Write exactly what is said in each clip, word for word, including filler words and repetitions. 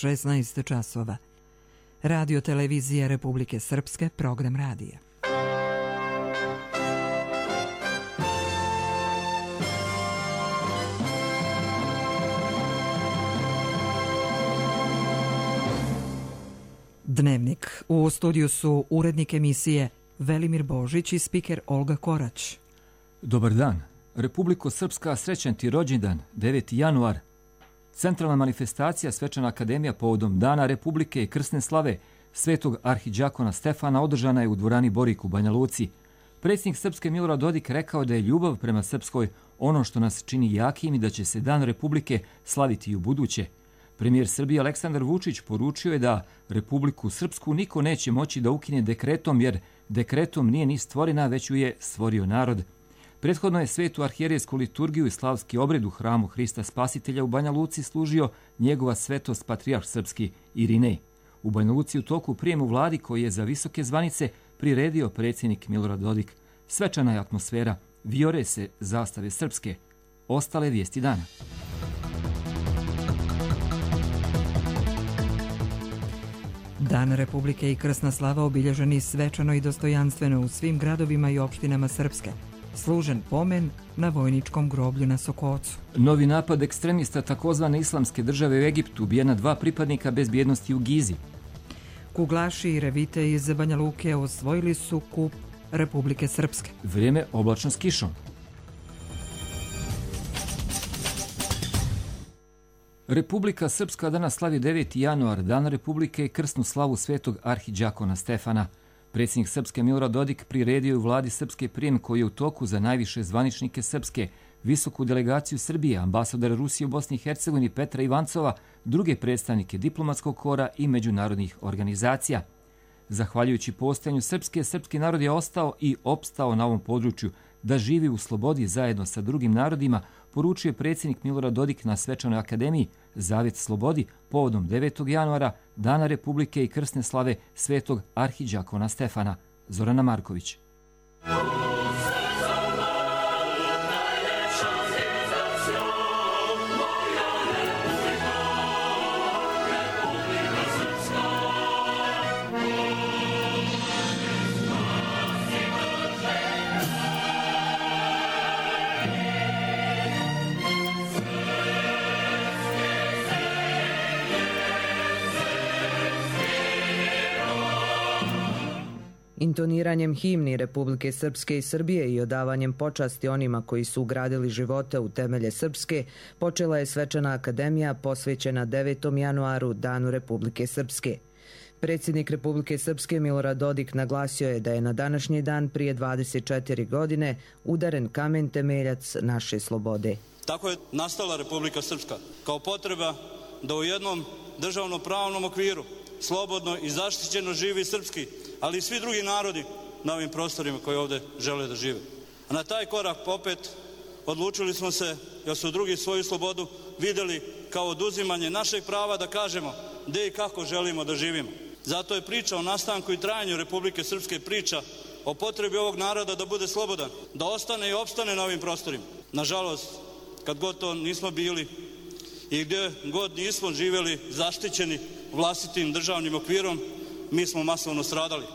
šesnaest časova. Radio televizija Republike Srpske, program radija. Dnevnik. U studiju su urednik emisije Velimir Božić i spiker Olga Korać. Dobar dan. Republiko Srpska, srećan ti rođendan, deveti januar. Centralna manifestacija Svečana akademija povodom Dana Republike i krsne slave Svetog arhidžakona Stefana održana je u dvorani Borik u Banja Luci. Predsjednik Srpske Milorad Dodik rekao da je ljubav prema Srpskoj ono što nas čini jakim i da će se Dan Republike slaviti i u buduće. Premijer Srbije Aleksandar Vučić poručio je da Republiku Srpsku niko neće moći da ukine dekretom, jer dekretom nije ni stvorena, već ju je stvorio narod. Prethodno je svetu arhijerejsku liturgiju i slavski obred u hramu Hrista Spasitelja u Banja Luci služio njegova svetost patrijarh srpski Irinej. U Banja Luci u toku prijem u vladi koji je za visoke zvanice priredio predsjednik Milorad Dodik. Svečana je atmosfera, vijore se zastave srpske. Ostale vijesti dana. Dan Republike i krsna slava obilježeni svečano i dostojanstveno u svim gradovima i opštinama Srpske. Služen pomen na vojničkom groblju na Sokocu. Novi napad ekstremista takozvane islamske države u Egiptu, ubijena dva pripadnika bezbjednosti u Gizi. Kuglaši i revite iz Banja Luke osvojili su kup Republike Srpske. Vrijeme oblačno s kišom. Republika Srpska danas slavi deveti januar, Dan Republike i krsnu slavu Svetog arhidžakona Stefana. Predsjednik Srpske Milorad Dodik priredio u vladi Srpske prijem koji je u toku za najviše zvaničnike Srpske, visoku delegaciju Srbije, ambasadora Rusije u Bosni i Hercegovini Petra Ivancova, druge predstavnike diplomatskog kora i međunarodnih organizacija. Zahvaljujući postojanju Srpske, srpski narod je ostao i opstao na ovom području da živi u slobodi zajedno sa drugim narodima, poručio je predsjednik Milorad Dodik na Svečanoj akademiji Zavjet slobodi povodom devetog januara, Dana Republike i krsne slave Svetog arhidžakona Stefana. Zorana Marković. Intoniranjem himni Republike Srpske i Srbije i odavanjem počasti onima koji su ugradili živote u temelje Srpske, počela je Svečana akademija posvećena devetom januaru, Danu Republike Srpske. Predsjednik Republike Srpske Milorad Dodik naglasio je da je na današnji dan prije dvadeset četiri godine udaren kamen temeljac naše slobode. Tako je nastala Republika Srpska, kao potreba da u jednom državno pravnom okviru slobodno i zaštićeno živi srpski, ali i svi drugi narodi na ovim prostorima koji ovdje žele da žive. A na taj korak popet odlučili smo se, jer su drugi svoju slobodu vidjeli kao oduzimanje našeg prava da kažemo gdje i kako želimo da živimo. Zato je priča o nastanku i trajanju Republike Srpske priča o potrebi ovog naroda da bude slobodan, da ostane i opstane na ovim prostorima. Nažalost, kad god to nismo bili i gdje god nismo živjeli zaštićeni vlastitim državnim okvirom, mi smo masovno stradali.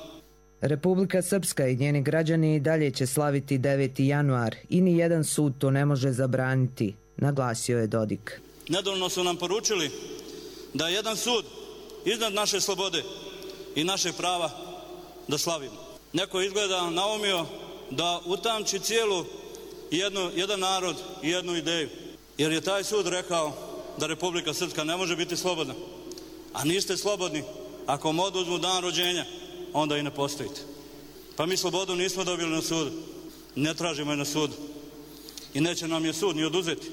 Republika Srpska i njeni građani i dalje će slaviti deveti januar i ni jedan sud to ne može zabraniti, naglasio je Dodik. Nedavno su nam poručili da je jedan sud iznad naše slobode i naše prava da slavimo. Neko izgleda naumio da utamči cijelu jednu, jedan narod i jednu ideju, jer je taj sud rekao da Republika Srpska ne može biti slobodna. A niste slobodni ako vam oduzmu dan rođenja, onda i ne postojite. Pa mi slobodu nismo dobili na sudu, ne tražimo je na sudu i neće nam je sud ni oduzeti.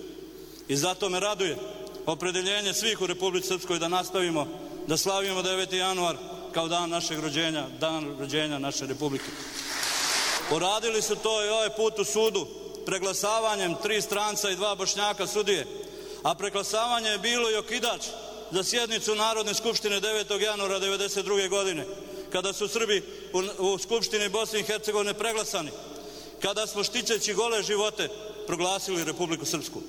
I zato me raduje opredeljenje svih u Republici Srpskoj da nastavimo da slavimo deveti januar kao dan našeg rođenja, dan rođenja naše Republike. Uradili su to i ovaj put u sudu preglasavanjem tri stranca i dva Bošnjaka sudije, a preglasavanje je bilo i okidač za sjednicu Narodne skupštine devetog januara devedeset druge godine, kada su Srbi u, u Skupštini Bosne i Hercegovine preglasani, kada smo štićeći gole živote proglasili Republiku Srpsku.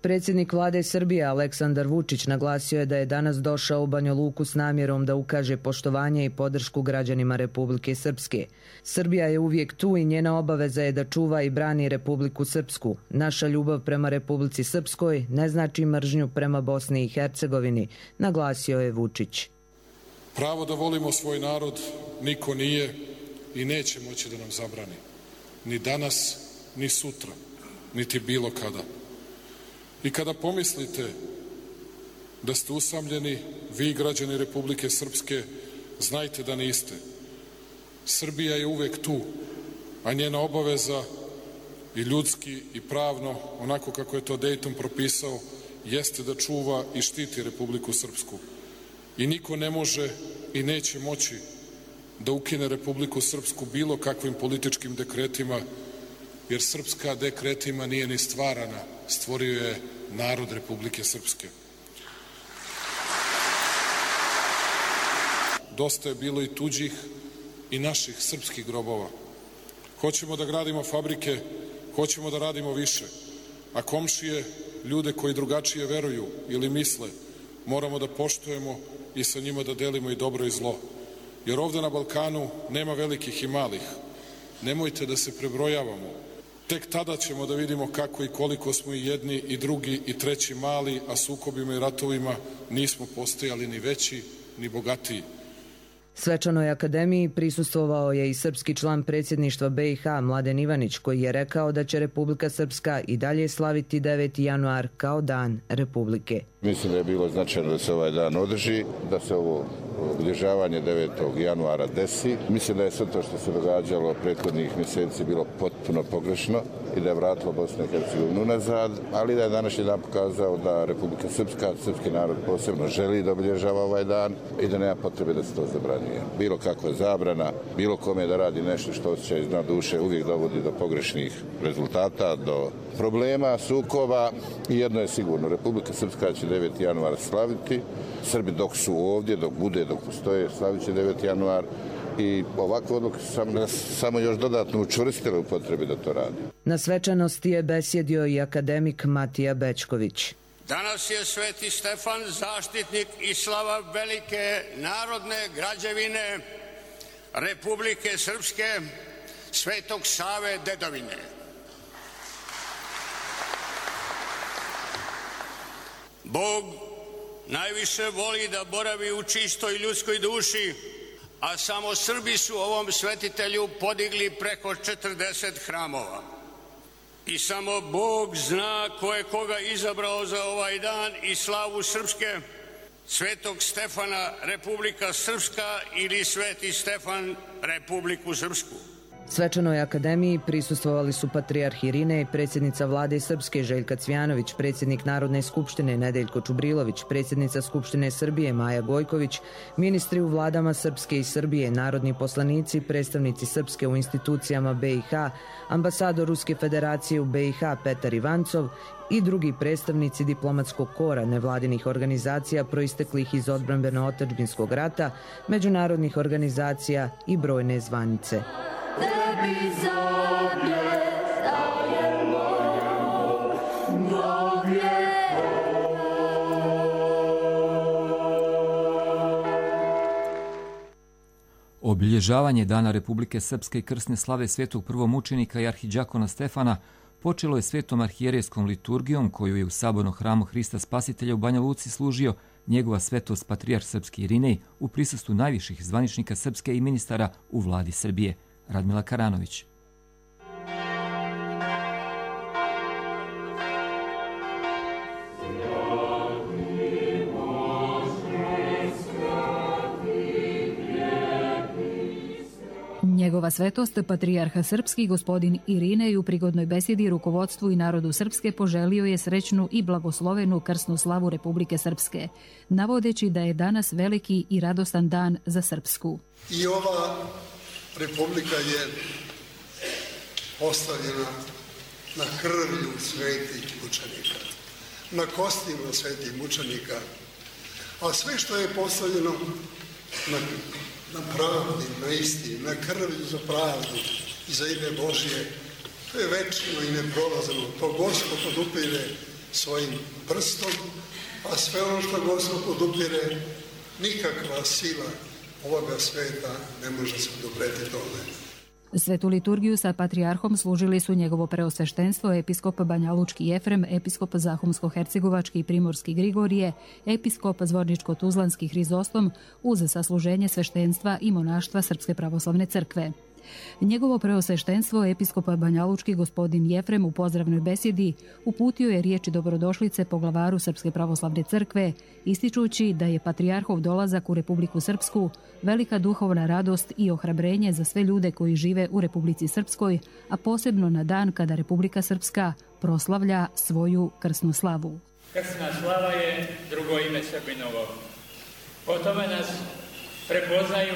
Predsjednik vlade Srbije Aleksandar Vučić naglasio je da je danas došao u Banja Luku s namjerom da ukaže poštovanje i podršku građanima Republike Srpske. Srbija je uvijek tu i njena obaveza je da čuva i brani Republiku Srpsku. Naša ljubav prema Republici Srpskoj ne znači mržnju prema Bosni i Hercegovini, naglasio je Vučić. Pravo da volimo svoj narod niko nije i neće moći da nam zabrani. Ni danas, ni sutra, niti bilo kada. I kada pomislite da ste usamljeni, vi građani Republike Srpske, znajte da niste. Srbija je uvek tu, a njena obaveza i ljudski i pravno, onako kako je to Dejton propisao, jeste da čuva i štiti Republiku Srpsku. I niko ne može i neće moći da ukine Republiku Srpsku bilo kakvim političkim dekretima, jer srpska dekretima nije ni stvarana, stvorio je narod Republike Srpske. Dosta je bilo i tuđih i naših srpskih grobova. Hoćemo da gradimo fabrike, hoćemo da radimo više, a komšije, ljude koji drugačije veruju ili misle, moramo da poštujemo i sa njima da delimo i dobro i zlo. Jer ovde na Balkanu nema velikih i malih. Nemojte da se prebrojavamo. Tek tada ćemo da vidimo kako i koliko smo i jedni i drugi i treći mali, a sukobima i ratovima nismo postojali ni veći ni bogatiji. Svečanoj akademiji prisustvovao je i srpski član predsjedništva B i H Mladen Ivanić, koji je rekao da će Republika Srpska i dalje slaviti deveti januar kao dan Republike. Mislim da je bilo značajno da se ovaj dan održi, da se ovo obilježavanje devetog januara desi. Mislim da je sve to što se događalo prethodnih mjeseci bilo potpuno pogrešno i da je vratilo Bosnu i Hercegovinu unazad, ali da je današnji dan pokazao da Republika Srpska, srpski narod posebno želi da obilježava ovaj dan i da nema potrebe da se to zabranjuje. Bilo kakva zabrana, bilo kome da radi nešto što osjeća iz dna duše uvijek dovodi do pogrešnih rezultata, do problema, sukoba i jedno je sigurno, Republika Srpska će deveti januar slaviti, Srbi dok su ovdje, dok bude, dok postoje, slavit će deveti januar i ovakve odluke su samo, samo još dodatno učvrstile u potrebi da to radi. Na svečanosti je besjedio i akademik Matija Bećković. Danas je Sveti Stefan zaštitnik i slava velike narodne građevine Republike Srpske, Svetog Save dedovine. Bog najviše voli da boravi u čistoj ljudskoj duši, a samo Srbi su ovom svetitelju podigli preko četrdeset hramova. I samo Bog zna ko je koga izabrao za ovaj dan i slavu Srpske, Svetog Stefana Republika Srpska ili Sveti Stefan Republiku Srpsku. Svečanoj akademiji prisustvovali su patrijarh Irinej i predsjednica vlade Srpske Željka Cvjanović, predsjednik Narodne skupštine Nedeljko Čubrilović, predsjednica Skupštine Srbije Maja Gojković, ministri u vladama Srpske i Srbije, narodni poslanici, predstavnici Srpske u institucijama B i H, ambasador Ruske federacije u B i H Petar Ivancov i drugi predstavnici diplomatskog kora nevladinih organizacija proisteklih iz odbrambeno-otadžbinskog rata, međunarodnih organizacija i brojne zvanice. Tebi zemlje dajemo, Bog je. Obilježavanje Dana Republike Srpske i krsne slave svetog prvomučenika i arhidžakona Stefana počelo je svetom arhijerejskom liturgijom koju je u sabornom hramu Hrista Spasitelja u Banja Luci služio njegova svetost patrijarh srpski Irinej u prisustvu najviših zvaničnika Srpske i ministara u vladi Srbije. Radmila Karanović. Njegova svetost, patrijarha srpski gospodin Irinej u prigodnoj besjedi rukovodstvu i narodu Srpske poželio je srećnu i blagoslovenu krsnu slavu Republike Srpske, navodeći da je danas veliki i radostan dan za Srpsku. I ova Republika je postavljena na krvlju svetih mučenika, na kostima svetih mučenika, a sve što je postavljeno na, na pravdi, na istini, na krvlju za pravdu i za ime Božje, to je večno i neprolazno. To Gospod podupire svojim prstom, a sve ono što Gospod podupire, nikakva sila ovoga sveta ne može se odupreti tome. Svetu liturgiju sa patrijarhom služili su njegovo preosveštenstvo, episkop Banjalučki Jefrem, episkop Zahumsko-hercegovački i Primorski Grigorije, episkop Zvorničko-tuzlanski Hrizostom uz sasluženje sveštenstva i monaštva Srpske pravoslavne crkve. Njegovo preosveštenstvo, episkop Banjalučki gospodin Jefrem u pozdravnoj besjedi uputio je riječi dobrodošlice poglavaru Srpske pravoslavne crkve, ističući da je patrijarhov dolazak u Republiku Srpsku velika duhovna radost i ohrabrenje za sve ljude koji žive u Republici Srpskoj, a posebno na dan kada Republika Srpska proslavlja svoju krsnu slavu. Krsna slava je drugo ime Srbinovo. Po tome nas prepoznaju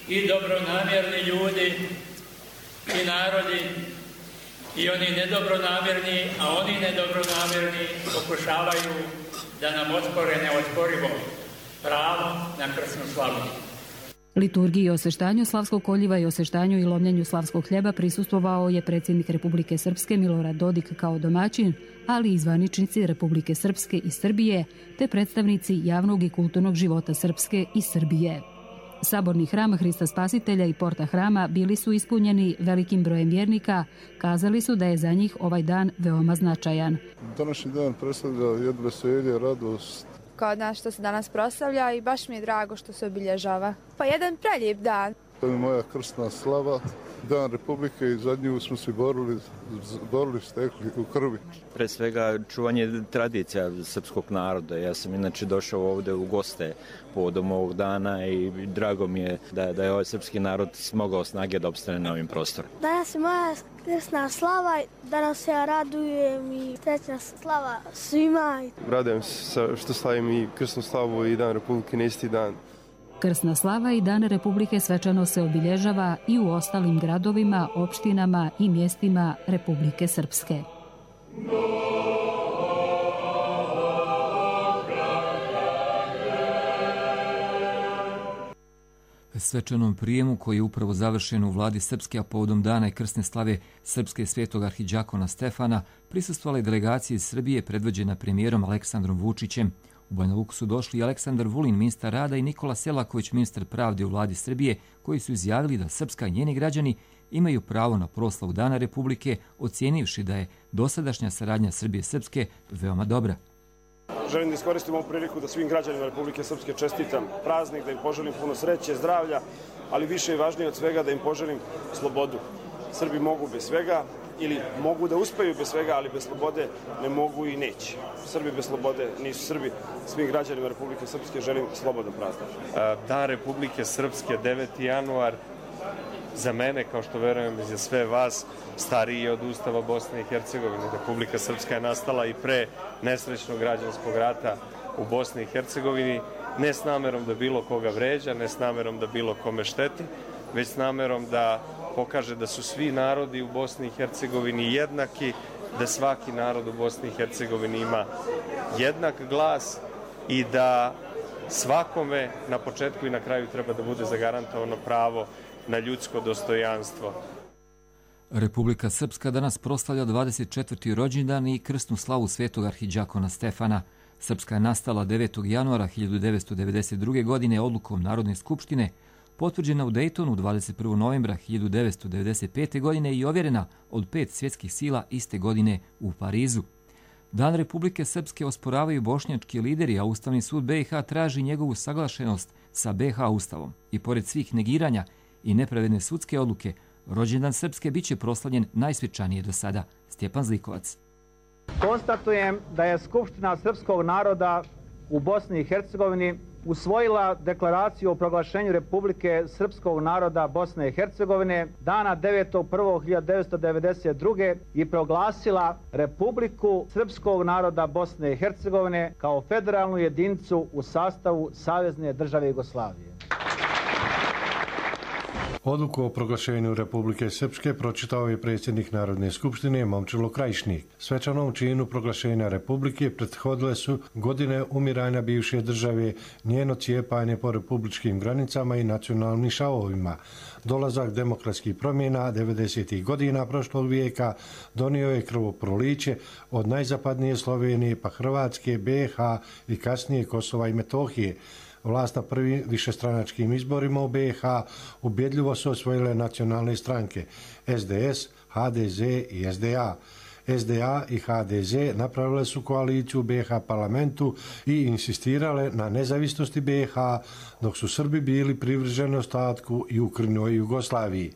i dobronamjerni ljudi i narodi i oni nedobronamjerni, a oni nedobronamjerni pokušavaju da nam ospore neosporivo pravo na krsnu slavu. Liturgiji i osveštanju slavskog koljiva i osveštanju i lomljenju slavskog hljeba prisustvovao je predsjednik Republike Srpske Milorad Dodik kao domaćin, ali i zvaničnici Republike Srpske i Srbije, te predstavnici javnog i kulturnog života Srpske i Srbije. Saborni hram Hrista Spasitelja i porta hrama bili su ispunjeni velikim brojem vjernika, kazali su da je za njih ovaj dan veoma značajan. Današnji dan predstavlja jedno veselje, radost. Kao dan što se danas proslavlja i baš mi je drago što se obilježava. Pa jedan prelijep dan. To je moja krsna slava, dan Republike i za nju smo se borili, borili stekli u krvi. Pre svega čuvanje tradicija srpskog naroda. Ja sam inače došao ovdje u goste povodom ovog dana i drago mi je da, da je ovaj srpski narod smogao snage da opstane na ovim prostorom. Danas je moja krsna slava, danas ja radujem i srećna slava svima. Radujem se što slavim i krsnu slavu i dan Republike na isti dan. Krsna slava i Dan Republike svečano se obilježava i u ostalim gradovima, opštinama i mjestima Republike Srpske. Svečanom prijemu koji je upravo završen u vladi Srpske, a povodom dana i krsne slave Srpske svetog arhidžakona Stefana, prisustvovale delegacije iz Srbije predvođena premijerom Aleksandrom Vučićem. U Banja Luku su došli i Aleksandar Vulin, ministar rada, i Nikola Selaković, ministar pravde u vladi Srbije, koji su izjavili da Srpska i njeni građani imaju pravo na proslavu Dana Republike, ocijenivši da je dosadašnja saradnja Srbije i Srpske veoma dobra. Želim da iskoristim ovu priliku da svim građanima Republike Srpske čestitam praznik, da im poželim puno sreće, zdravlja, ali više i važnije od svega da im poželim slobodu. Srbi mogu bez svega ili mogu da uspeju bez svega, ali bez slobode ne mogu i neće. Srbi bez slobode nisu Srbi. Svim građanima Republike Srpske želim slobodan praznik. Dan Republike Srpske, deveti januar, za mene, kao što verujem i za sve vas, stariji je od Ustava Bosne i Hercegovine. Republika Srpska je nastala i pre nesrećnog građanskog rata u Bosni i Hercegovini, ne s namerom da bilo koga vređa, ne s namerom da bilo kome šteti, već s namerom da pokaže da su svi narodi u Bosni i Hercegovini jednaki, da svaki narod u Bosni i Hercegovini ima jednak glas i da svakome na početku i na kraju treba da bude zagarantovano pravo na ljudsko dostojanstvo. Republika Srpska danas proslavlja dvadeset četvrti rođendan i krsnu slavu svetog arhidžakona Stefana. Srpska je nastala devetog januara hiljadu devetsto devedeset druge. godine odlukom Narodne skupštine, potvrđena u Dejtonu dvadeset prvog novembra hiljadu devetsto devedeset pete. godine i ovjerena od pet svjetskih sila iste godine u Parizu. Dan Republike Srpske osporavaju bošnjački lideri, a Ustavni sud B i H traži njegovu saglašenost sa B i H Ustavom. I pored svih negiranja i nepravedne sudske odluke, rođendan Srpske biće proslavljen najsvečanije do sada. Stjepan Zlikovac. Konstatujem da je Skupština srpskog naroda u Bosni i Hercegovini usvojila deklaraciju o proglašenju Republike Srpskog naroda Bosne i Hercegovine dana devetog prvog hiljadu devetsto devedeset druge. i proglasila Republiku Srpskog naroda Bosne i Hercegovine kao federalnu jedinicu u sastavu Savezne države Jugoslavije. Odluku o proglašenju Republike Srpske pročitao je predsjednik Narodne skupštine Momčilo Krajišnik. Svečanom činu proglašenja Republike prethodile su godine umiranja bivše države, njeno cijepanje po republičkim granicama i nacionalnim šavovima. Dolazak demokratskih promjena devedesetih godina prošlog vijeka donio je krvoproliće od najzapadnije Slovenije pa Hrvatske, B i H i kasnije Kosova i Metohije. Vlast na prvim višestranačkim izborima u B i H ubjedljivo su osvojile nacionalne stranke S D S, H D Z i S D A. S D A i H D Z napravile su koaliciju u B i H parlamentu i insistirale na nezavisnosti B i H, dok su Srbi bili privrženi ostatku i Ukrajini i Jugoslaviji.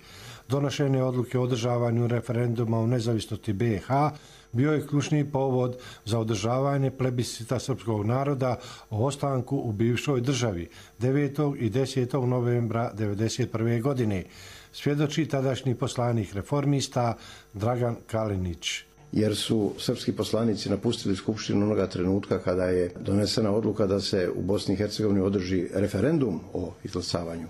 Donošenje odluke o održavanju referenduma o nezavisnosti B i H bio je ključni povod za održavanje plebiscita srpskog naroda o ostanku u bivšoj državi devetog i desetog novembra devedeset prve. godine, svjedoči tadašnji poslanik reformista Dragan Kalinić. Jer su srpski poslanici napustili Skupštinu onoga trenutka kada je donesena odluka da se u Bosni i Hercegovini održi referendum o izglasavanju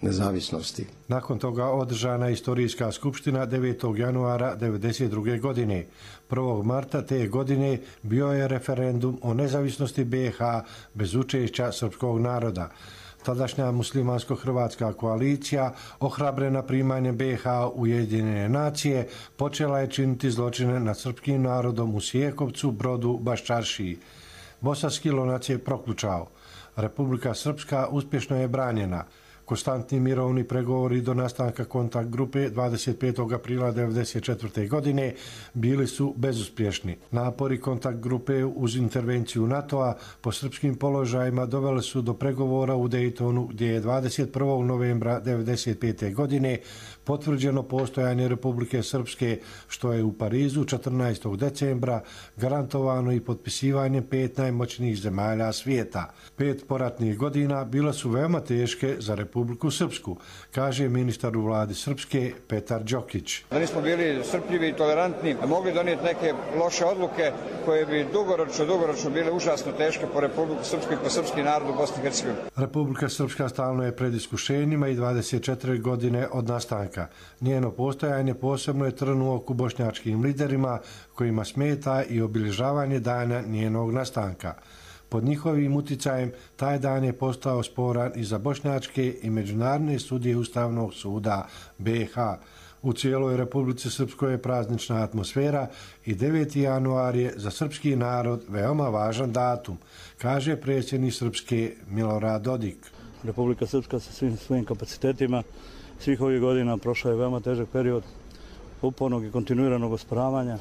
nezavisnosti. Nakon toga održana je istorijska skupština devetog januara devedeset druge. godine. prvog marta te godine bio je referendum o nezavisnosti B i H bez učešća srpskog naroda. Tadašnja muslimansko-hrvatska koalicija, ohrabrena primanjem B i H u Ujedinjene nacije, počela je činiti zločine nad srpskim narodom u Sijekovcu, Brodu, Baščaršiji. Bosanski lonac je proključao. Republika Srpska uspješno je branjena. Konstantni mirovni pregovori do nastanka kontakt grupe dvadeset petog aprila devedeset četvrte. godine bili su bezuspješni. Napori kontakt grupe uz intervenciju NATO-a po srpskim položajima doveli su do pregovora u Dejtonu, gdje je dvadeset prvog novembra devedeset pete. godine potvrđeno postojanje Republike Srpske, što je u Parizu četrnaestog decembra garantovano i potpisivanjem pet najmoćnijih zemalja svijeta. Pet poratnih godina bila su veoma teške za Republiku Srpsku, kaže ministar u vladi Srpske Petar Đokić. Da nismo bili strpljivi i tolerantni, mogli donijeti neke loše odluke koje bi dugoročno, dugoročno bile užasno teške po Republiku Srpsku i po srpski narod u Bosni i Hercegovini. Republika Srpska stalno je pred iskušenjima i dvadeset četiri godine od nastanka. Njeno postojanje posebno je trn u oku bošnjačkim liderima kojima smeta i obilježavanje dana njenog nastanka. Pod njihovim uticajem taj dan je postao sporan i za bošnjačke i međunarodne sudije Ustavnog suda B i H. U cijeloj Republici Srpskoj je praznična atmosfera i deveti januar je za srpski narod veoma važan datum, kaže predsjednik Srpske Milorad Dodik. Republika Srpska sa svim svojim kapacitetima svih ovih godina prošla je veoma težak period upornog i kontinuiranog osporavanja,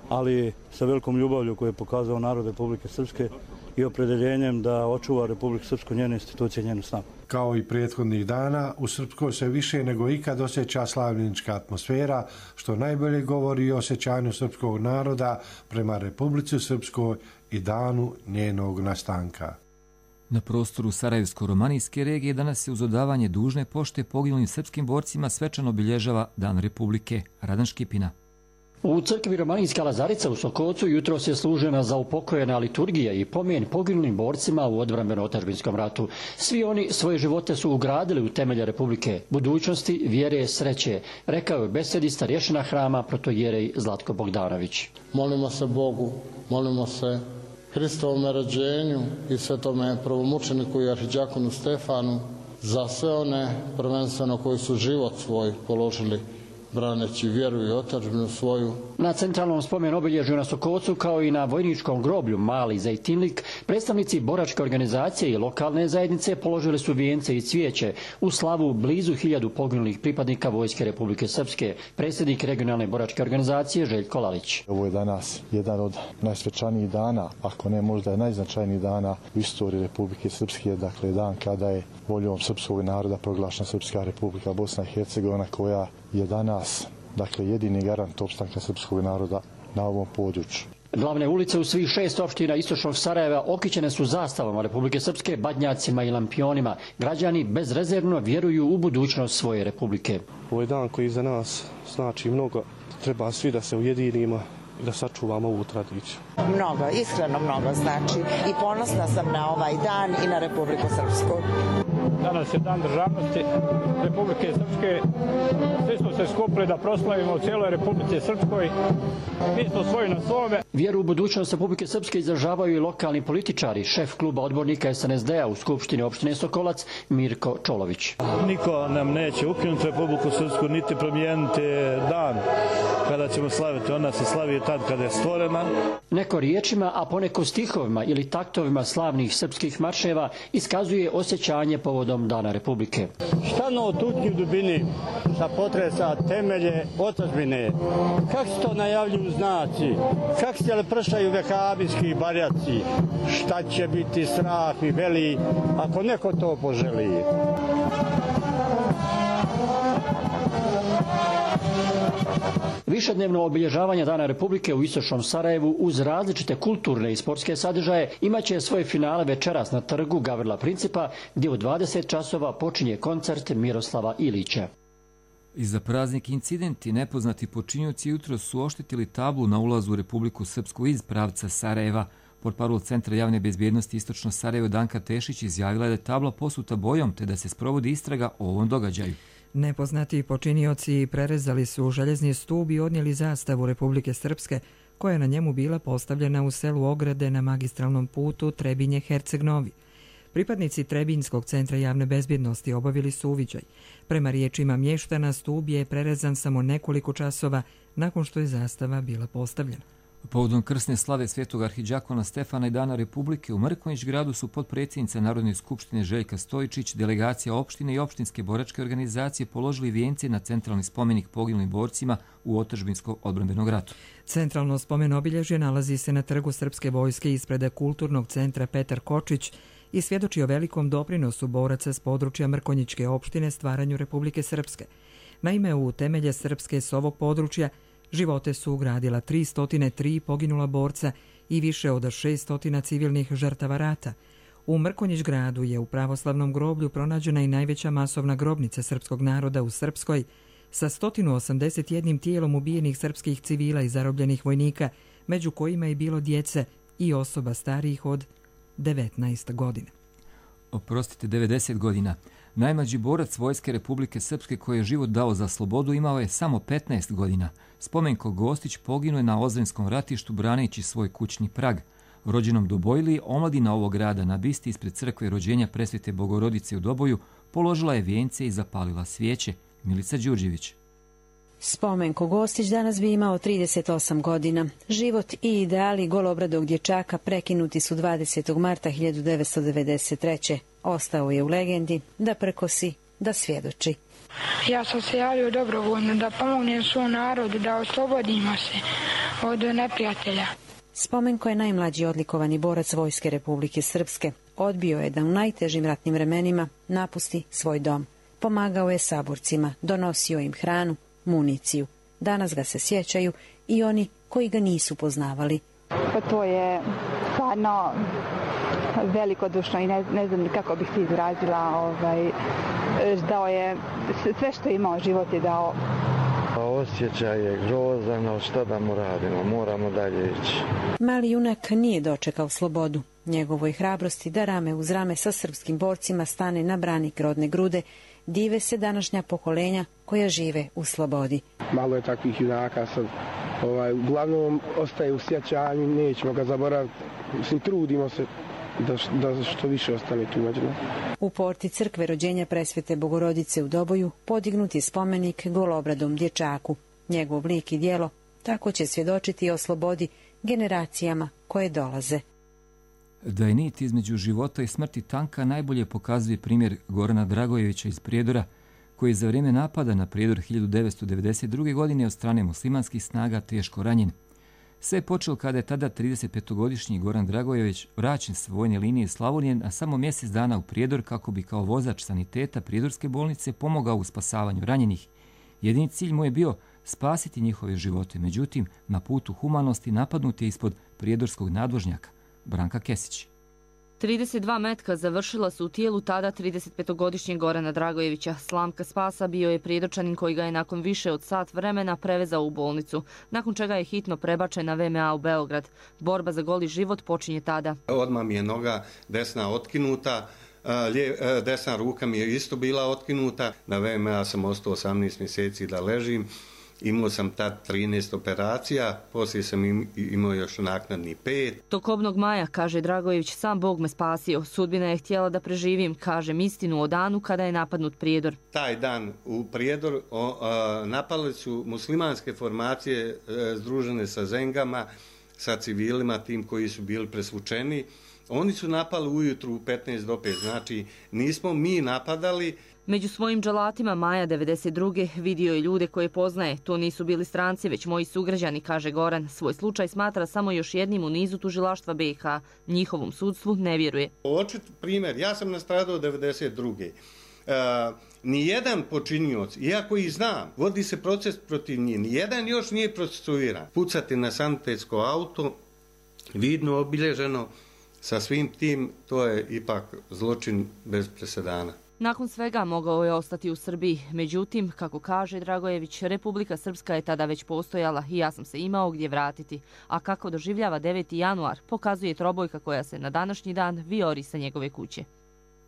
ali sa velikom ljubavlju koju je pokazao narod Republike Srpske i opredeljenjem da očuva Republiku Srpsku, njene institucije, njenu snagu. Kao i prethodnih dana, u Srpskoj se više nego ikad osjeća slavljenička atmosfera, što najbolje govori o osjećanju srpskog naroda prema Republici Srpskoj i danu njenog nastanka. Na prostoru Sarajevsko-romanijske regije danas se uz odavanje dužne pošte poginulim srpskim borcima svečano obilježava Dan Republike. Radan Škipina. U crkvi Romanijska Lazarica u Sokocu jutro se služena za upokojena liturgija i pomen poginulim borcima u odbrambeno-otadžbinskom ratu. Svi oni svoje živote su ugradili u temelje Republike, budućnosti, vjere, sreće, rekao je besedi starješina hrama protojerej Zlatko Bogdanović. Molimo se Bogu, molimo se Hristovome rođenju i svetome prvomučeniku i arhidjakonu Stefanu za sve one prvenstveno koji su život svoj položili braneći vjeru i otadžbinu svoju. Na centralnom spomen obilježju na Sokocu kao i na vojničkom groblju Mali Zejtinlik predstavnici boračke organizacije i lokalne zajednice položili su vijence i cvijeće u slavu blizu hiljadu poginulih pripadnika Vojske Republike Srpske, predsjednik regionalne boračke organizacije Željko Lalić. Ovo je danas jedan od najsvečanijih dana, ako ne možda je najznačajnijih dana u istoriji Republike Srpske, dakle dan kada je voljom srpskog naroda proglašena Srpska Republika Bosna i Hercegovina, koja je danas, dakle, jedini garant opstanka srpskog naroda na ovom području. Glavne ulice u svih šest opština istočnog Sarajeva okićene su zastavama Republike Srpske, badnjacima i lampionima. Građani bezrezervno vjeruju u budućnost svoje republike. Ovo je dan koji za nas znači mnogo. Treba svi da se ujedinimo i da sačuvamo ovu tradiciju. Mnogo, iskreno mnogo znači i ponosna sam na ovaj dan i na Republiku Srpsku. danas je dan državnosti Republike Srpske. Svi smo se skupili da proslavimo u cijeloj Republici Srpskoj. Mi smo svoji na svome. Vjeru u budućnost Republike Srpske izražavaju i lokalni političari. Šef kluba odbornika S N S D-a u Skupštini opštine Sokolac, Mirko Čolović. Niko nam neće ukinuti Republiku Srpsku, niti promijeniti dan kada ćemo slaviti. Ona se slavi tad kada je stvorena. Neko riječima, a poneko stihovima ili taktovima slavnih srpskih marševa iskazuje osjećanje povodom Dana Republike. Šta no tutnji u dubini sa potresa temelje otadžbine? Kak se to najavljuju znaci? Kak se pršaju vehabijski barjaci? Šta će biti strah i veli ako neko to poželi? Višednevno obilježavanje Dana Republike u istočnom Sarajevu uz različite kulturne i sportske sadržaje imaće svoje finale večeras na trgu Gavrila Principa, gdje u dvadeset časova počinje koncert Miroslava Ilića. Iza praznik incidenti nepoznati počinioci jutro su oštetili tablu na ulazu u Republiku Srpsku iz pravca Sarajeva. Portparol Centra javne bezbjednosti Istočno Sarajevo Danka Tešić izjavila da je tabla posuta bojom te da se sprovodi istraga o ovom događaju. Nepoznati počinioci prerezali su željezni stub i odnijeli zastavu Republike Srpske, koja je na njemu bila postavljena u selu Ograde na magistralnom putu Trebinje-Herceg-Novi. Pripadnici Trebinjskog centra javne bezbjednosti obavili su uviđaj. Prema riječima mještana, stub je prerezan samo nekoliko časova nakon što je zastava bila postavljena. Povodom krsne slave Svetog arhidžakona Stefana i Dana Republike u Mrkonjić gradu su potpredsjednica Narodne skupštine Željka Stojičić, delegacija opštine i opštinske boračke organizacije položili vijence na centralni spomenik poginulim borcima u otadžbinskom odbrambenom ratu. Centralno spomen obilježje nalazi se na trgu Srpske vojske ispred kulturnog centra Petar Kočić i svjedoči o velikom doprinosu boraca s područja Mrkonjićke opštine stvaranju Republike Srpske. Naime, u temelje Srpske s ovog područja živote su ugradila tristo tri poginula borca i više od šesto civilnih žrtava rata. U Mrkonjić gradu je u pravoslavnom groblju pronađena i najveća masovna grobnica srpskog naroda u Srpskoj sa sto osamdeset jedan tijelom ubijenih srpskih civila i zarobljenih vojnika, među kojima je bilo djece i osoba starijih od devetnaest godina. Oprostite, devedeset godina. Najmlađi borac Vojske Republike Srpske koji je život dao za slobodu imao je samo petnaest godina. Spomenko Gostić poginuo je na Ozrenskom ratištu braneći svoj kućni prag. Rođenom Dobojliji, omladina ovog grada na bisti ispred crkve rođenja Presvete Bogorodice u Doboju položila je vijence i zapalila svijeće. Milica Đurđević. Spomenko Gostić danas bi imao trideset osam godina. Život i ideali golobradog dječaka prekinuti su dvadesetog marta hiljadu devetsto devedeset treće. Ostao je u legendi da prkosi, da svjedoči. Ja sam se javio dobrovoljno da pomognem svom narodu, da oslobodimo se od neprijatelja. Spomenko je najmlađi odlikovani borac Vojske Republike Srpske. Odbio je da u najtežim ratnim vremenima napusti svoj dom. Pomagao je saborcima, donosio im hranu, municiju. Danas ga se sjećaju i oni koji ga nisu poznavali. Pa to je stvarno velikodušno i ne, ne znam kako bih se izrazila. Ovaj, dao je sve što je imao, život je dao. Osjećaj je grozan, šta da mu radimo, moramo dalje ići. Mali junak nije dočekao slobodu. Njegovoj hrabrosti da rame uz rame sa srpskim borcima stane na branik rodne grude, dive se današnja pokolenja koja žive u slobodi. Malo je takvih junaka sad. Ovaj, uglavnom ostaje u sjećanju, nećemo ga zaboraviti. Mislim, trudimo se da, da što više ostane tu među nama. U porti crkve rođenja Presvete Bogorodice u Doboju podignut je spomenik golobradom dječaku. Njegov lik i djelo tako će svjedočiti o slobodi generacijama koje dolaze. Da je nit između života i smrti tanka najbolje pokazuje primjer Gorana Dragojevića iz Prijedora, koji je za vrijeme napada na Prijedor hiljadu devetsto devedeset druge. godine od strane muslimanskih snaga teško ranjen. Sve je počelo kada je tada tridesetpetogodišnji Goran Dragojević vraćen s vojne linije Slavonije na samo mjesec dana u Prijedor kako bi kao vozač saniteta Prijedorske bolnice pomogao u spasavanju ranjenih. Jedini cilj mu je bio spasiti njihove živote, međutim, na putu humanosti napadnut je ispod prijedorskog nadvožnjaka. Branka Kesić. trideset dva metka završila su u tijelu tada tridesetpetogodišnjeg Gorana Dragojevića. Slamka spasa bio je prijedočanin koji ga je nakon više od sat vremena prevezao u bolnicu, nakon čega je hitno prebačen na V M A u Beograd. Borba za goli život počinje tada. Odmah mi je noga desna otkinuta, desna ruka mi je isto bila otkinuta, na V M A sam ostao osamnaest mjeseci da ležim, imao sam tad trinaest operacija, poslije sam imao još naknadni pet. Tokobnog maja, kaže Dragojević, sam Bog me spasio, sudbina je htjela da preživim, kažem istinu o danu kada je napadnut Prijedor. Taj dan u Prijedor o, a, napali su muslimanske formacije a, združene sa Zengama, sa civilima, tim koji su bili presvučeni. Oni su napali ujutru u petnaest do pet, znači nismo mi napadali. Među svojim dželatima maja devedeset druge vidio je ljude koje poznaje. To nisu bili stranci, već moji sugrađani, kaže Goran. Svoj slučaj smatra samo još jednim u nizu tužilaštva B i H. Njihovom sudstvu ne vjeruje. Očit primjer, ja sam nastradao devedeset druge. Uh, nijedan počinioc, iako i znam, vodi se proces protiv njih, nijedan još nije procesuiran. Pucati na sanitetsko auto, vidno obilježeno, sa svim tim, to je ipak zločin bez presedana. Nakon svega mogao je ostati u Srbiji. Međutim, kako kaže Dragojević, Republika Srpska je tada već postojala i ja sam se imao gdje vratiti. A kako doživljava deveti januar, pokazuje trobojka koja se na današnji dan vijori sa njegove kuće.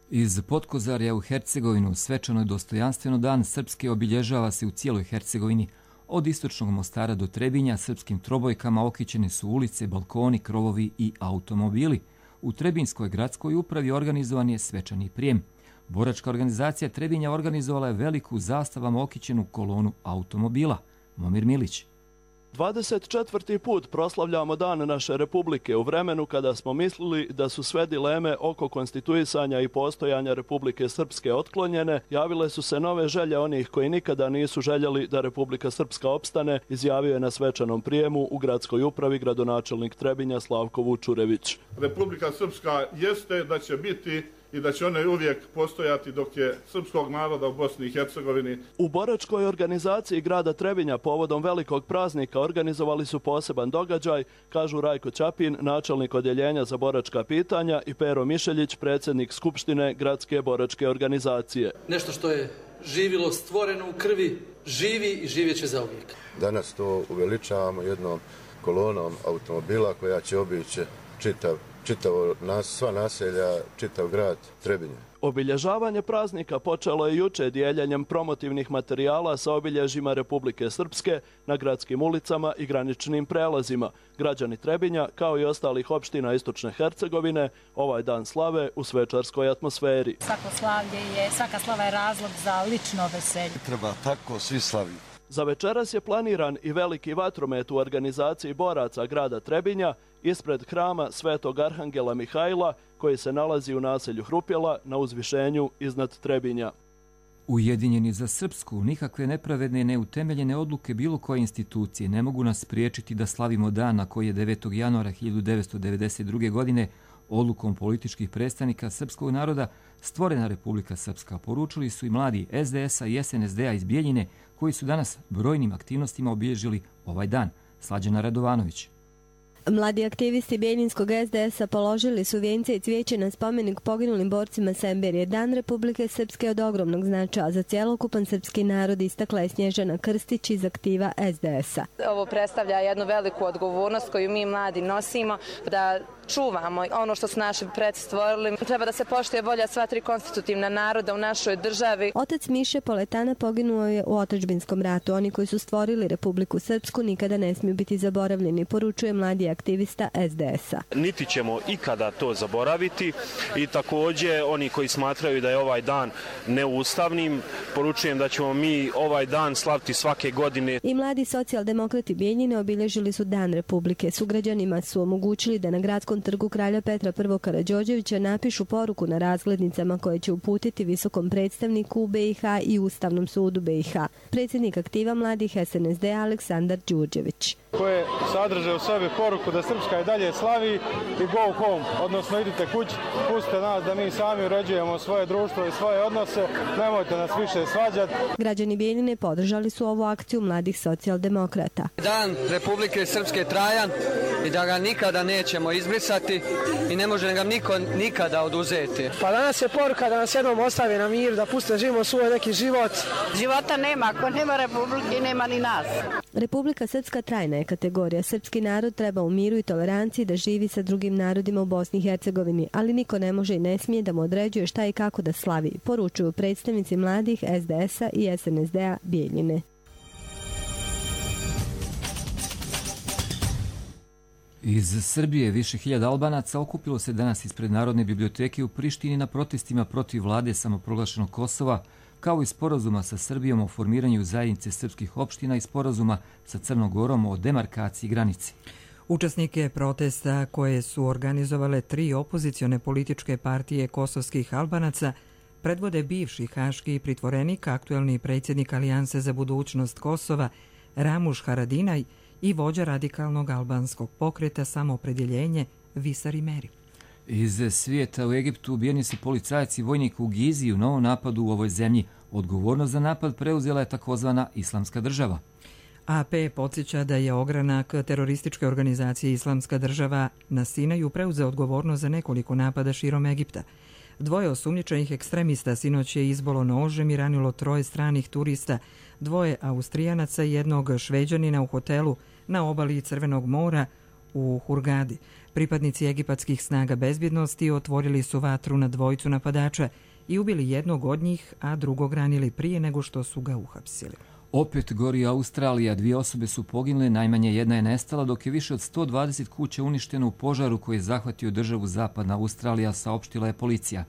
Iz Potkozarja u Hercegovinu svečano i dostojanstveno Dan Srpske obilježava se u cijeloj Hercegovini. Od istočnog Mostara do Trebinja srpskim trobojkama okićene su ulice, balkoni, krovovi i automobili. U Trebinskoj gradskoj upravi organizovan je svečani prijem. Boračka organizacija Trebinja organizovala je veliku zastavama okićenu kolonu automobila. Momir Milić. dvadeset četvrti put proslavljamo Dan naše Republike u vremenu kada smo mislili da su sve dileme oko konstituisanja i postojanja Republike Srpske otklonjene, javile su se nove želje onih koji nikada nisu željeli da Republika Srpska opstane, izjavio je na svečanom prijemu u gradskoj upravi gradonačelnik Trebinja Slavko Vučurević. Republika Srpska jeste da će biti i da će one uvijek postojati dok je srpskog naroda u Bosni i Hercegovini. U boračkoj organizaciji grada Trebinja povodom velikog praznika organizovali su poseban događaj, kažu Rajko Ćapin, načelnik odjeljenja za boračka pitanja, i Pero Mišeljić, predsjednik Skupštine gradske boračke organizacije. Nešto što je živilo, stvoreno u krvi, živi i živjeće zauvijek. Danas to uveličavamo jednom kolonom automobila koja će obići čitav čitavo nas, sva naselja, čitav grad Trebinje. Obilježavanje praznika počelo je juče dijeljenjem promotivnih materijala sa obilježjima Republike Srpske na gradskim ulicama i graničnim prelazima. Građani Trebinja, kao i ostalih opština istočne Hercegovine, ovaj dan slave u svečarskoj atmosferi. Svako slavlje je, svaka slava je razlog za lično veselje. Treba tako svi slaviti. Za večeras je planiran i veliki vatromet u organizaciji boraca grada Trebinja ispred hrama Svetog Arhangela Mihajla, koji se nalazi u naselju Hrupjela na uzvišenju iznad Trebinja. Ujedinjeni za Srpsku, nikakve nepravedne i neutemeljene odluke bilo koje institucije ne mogu nas spriječiti da slavimo dan na koji je devetog januara hiljadu devetsto devedeset druge. godine odlukom političkih predstavnika srpskog naroda stvorena Republika Srpska, poručili su i mladi S D S-a i S N S D-a iz Bijeljine, koji su danas brojnim aktivnostima obilježili ovaj dan. Slađana Radovanović. Mladi aktivisti Bijeljinskog S D S-a položili su vijence i cvijeće na spomenik poginulim borcima Semberije. Dan Republike Srpske od ogromnog značaja za cjelokupan srpski narod, istakla je Snježana Krstić iz aktiva S D S-a. Ovo predstavlja jednu veliku odgovornost koju mi mladi nosimo, da čuvamo ono što su naši preci stvorili. Treba da se poštuje volja sva tri konstitutivna naroda u našoj državi. Otac Miše Poletana poginuo je u otadžbinskom ratu. Oni koji su stvorili Republiku Srpsku nikada ne smiju biti zaboravljeni, poručuje mladi aktivista S D S-a. Niti ćemo ikada to zaboraviti i također oni koji smatraju da je ovaj dan neustavnim, poručujem da ćemo mi ovaj dan slaviti svake godine. I mladi socijaldemokrati Bijeljine obilježili su Dan Republike. Sugrađanima su omogućili da na gradskom trgu Kralja Petra I. Karađorđevića napišu poruku na razglednicama koje će uputiti visokom predstavniku u B i H i Ustavnom sudu B i H. Predsjednik aktiva mladih S N S D Aleksandar Đurđević. Koje sadrže u sebi poruku da Srpska i dalje slavi i go home, odnosno idite kući, pustite nas da mi sami uređujemo svoje društvo i svoje odnose, nemojte nas više svađati. Građani Bijeljine podržali su ovu akciju mladih socijaldemokrata. Dan Republike Srpske trajan i da ga nikada nećemo izbrisati. izglasati i ne može nam niko nikada oduzeti. Pa danas je poruka da nas jednom ostave na mir, da puste da živimo svoj neki život. Života nema, ako nema republike nema ni nas. Republika Srpska trajna je kategorija. Srpski narod treba u miru i toleranciji da živi sa drugim narodima u Bosni i Hercegovini, ali niko ne može i ne smije da mu određuje šta i kako da slavi, poručuju predstavnici mladih S D S-a i S N S D-a Bijeljine. Iz Srbije više hiljada Albanaca okupilo se danas ispred Narodne biblioteke u Prištini na protestima protiv vlade samoproglašenog Kosova, kao i sporazuma sa Srbijom o formiranju zajednice srpskih opština i sporazuma sa Crnom Gorom o demarkaciji granice. Učesnike protesta koje su organizovale tri opozicione političke partije kosovskih Albanaca predvode bivši haški pritvorenik, aktuelni predsjednik Alijanse za budućnost Kosova Ramuš Haradinaj i vođa radikalnog albanskog pokreta Samoopredjeljenje Visar Imeri. Iz svijeta u Egiptu ubijeni su policajac i vojnik u Gizi u novom napadu u ovoj zemlji. Odgovornost za napad preuzela je takozvana Islamska država. A P podsjeća da je ogranak terorističke organizacije Islamska država na Sinaju preuzeo odgovornost za nekoliko napada širom Egipta. Dvoje osumnjičenih ekstremista sinoć je izbolo nožem i ranilo troje stranih turista, dvoje Austrijanaca i jednog Šveđanina u hotelu na obali Crvenog mora u Hurgadi. Pripadnici egipatskih snaga bezbjednosti otvorili su vatru na dvojicu napadača i ubili jednog od njih, a drugog ranili prije nego što su ga uhapsili. Opet gori Australija. Dvije osobe su poginule, najmanje jedna je nestala, dok je više od sto dvadeset kuća uništeno u požaru koji je zahvatio državu Zapadna Australija, saopštila je policija.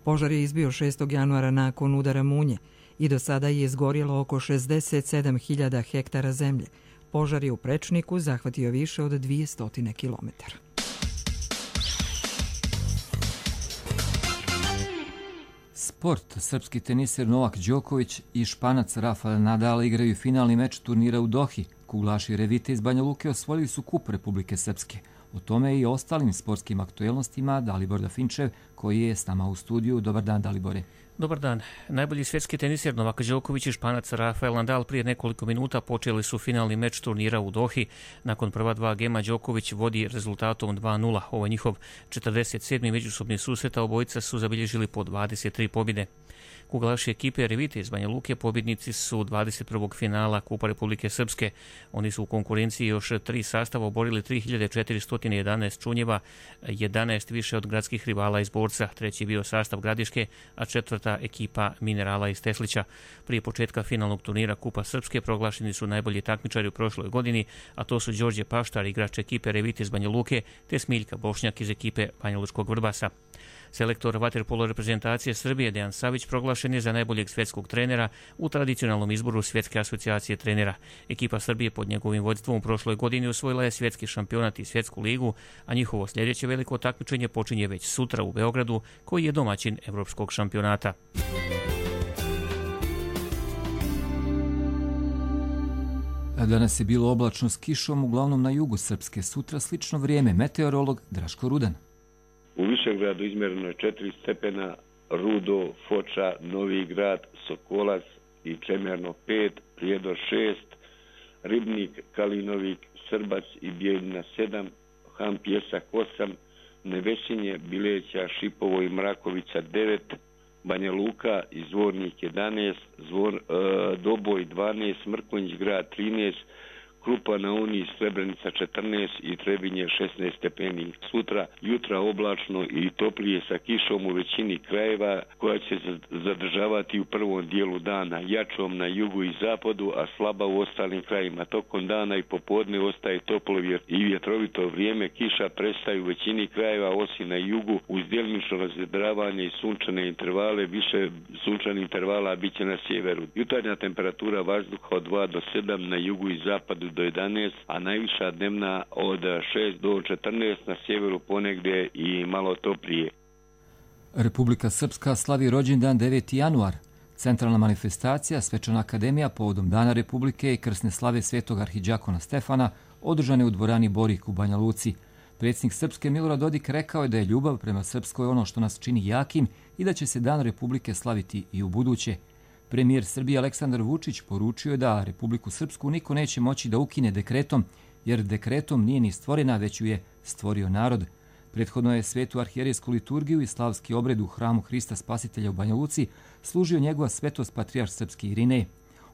Požar je izbio šestog januara nakon udara munje i do sada je izgorjelo oko šezdeset sedam hiljada hektara zemlje. Požar je u prečniku zahvatio više od dvjesto kilometara. Sport. Srpski teniser Novak Đoković i Španac Rafael Nadal igraju finalni meč turnira u Dohi. Kuglaši Revite iz Banja Luke osvojili su kup Republike Srpske. O tome i ostalim sportskim aktuelnostima Dalibor Dafinčev, koji je s nama u studiju. Dobar dan, Dalibore. Dobar dan. Najbolji svjetski teniser Novak Đoković i Španac Rafael Nadal prije nekoliko minuta počeli su finalni meč turnira u Dohi. Nakon prva dva gema Đoković vodi rezultatom dva nula. Ovo je njihov četrdeset sedmi međusobni susret, a obojica su zabilježili po dvadeset tri pobjede. Kuglaši ekipe Revite iz Banja Luke pobjednici su dvadeset prvog finala Kupa Republike Srpske. Oni su u konkurenciji još tri sastava oborili tri hiljade četiristo jedanaest čunjeva, jedanaest više od gradskih rivala iz Borca. Treći je bio sastav Gradiške, a četvrta ekipa Minerala iz Teslića. Prije početka finalnog turnira Kupa Srpske proglašeni su najbolji takmičari u prošloj godini, a to su Đorđe Paštar, igrač ekipe Revite iz Banja Luke, te Smiljka Bošnjak iz ekipe Banjalučkog Vrbasa. Selektor vaterpolo reprezentacije Srbije Dejan Savić proglašen je za najboljeg svjetskog trenera u tradicionalnom izboru Svjetske asocijacije trenera. Ekipa Srbije pod njegovim vodstvom u prošloj godini osvojila je svjetski šampionat i svjetsku ligu, a njihovo sljedeće veliko takmičenje počinje već sutra u Beogradu, koji je domaćin evropskog šampionata. Danas je bilo oblačno s kišom, uglavnom na jugu Srpske. Sutra slično vrijeme. Meteorolog Draško Rudan. U Višegradu izmjereno je četiri stepena, Rudo, Foča, Novi Grad, Sokolac i Čemerno pet, Prijedor šest, Ribnik, Kalinovik, Srbac i Bijeljina sedam, Han Pjesak osam, Nevesinje, Bileća, Šipovo i Mrakovica devet, Banja Luka i Zvornik jedanaest, Zvor, e, Doboj dvanaest, Mrkonjić grad trinaest, Krupa na Uni, Srebrenica četrnaest i Trebinje šesnaest stepeni. Sutra jutra oblačno i toplije sa kišom u većini krajeva, koja će zadržavati u prvom dijelu dana, jačom na jugu i zapadu, a slaba u ostalim krajima. Tokom dana i popodne ostaje toplo i vjetrovito vrijeme, kiša prestaje u većini krajeva osim na jugu, uz djelomično razvedravanje i sunčane intervale, više sunčanih intervala bit će na sjeveru. Jutarnja temperatura vazduha od dva do sedam, na jugu i zapadu do jedanaest, a najviša dnevna od šest do četrnaest, na sjeveru ponegdje i malo toplije. Republika Srpska slavi rođendan deveti januar. Centralna manifestacija Svečana akademija povodom Dana Republike i krsne slave Svetog arhidžakona Stefana održane u dvorani Borik u Banja Luci. Predsjednik Srpske Milorad Dodik rekao je da je ljubav prema Srpskoj ono što nas čini jakim i da će se Dan Republike slaviti i u buduće. Premijer Srbije Aleksandar Vučić poručio je da Republiku Srpsku niko neće moći da ukine dekretom, jer dekretom nije ni stvorena, već ju je stvorio narod. Prethodno je svetu arhijerejsku liturgiju i slavski obred u hramu Hrista Spasitelja u Banja Luci služio njegova svetost patrijarh srpski Irinej.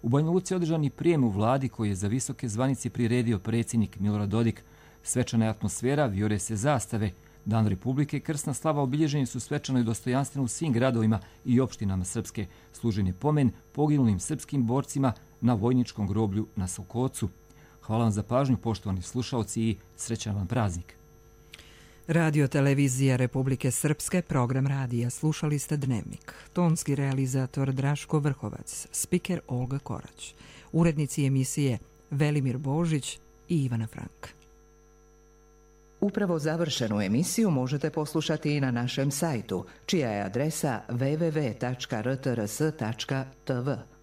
U Banja Luci je održan i prijem u vladi koji je za visoke zvanice priredio predsjednik Milorad Dodik. Svečana je atmosfera, vijore se zastave. Dan Republike i krsna slava obilježeni su svečano i dostojanstveno u svim gradovima i opštinama Srpske. Služen je pomen poginulim srpskim borcima na vojničkom groblju na Sokocu. Hvala vam za pažnju, poštovani slušaoci, i srećan vam praznik. Radio televizija Republike Srpske, program radija. Slušali ste Dnevnik. Tonski realizator Draško Vrhovac, spiker Olga Korać. Urednici emisije Velimir Božić i Ivana Frank. Upravo završenu emisiju možete poslušati i na našem sajtu, čija je adresa w w w tačka r t r s tačka t v.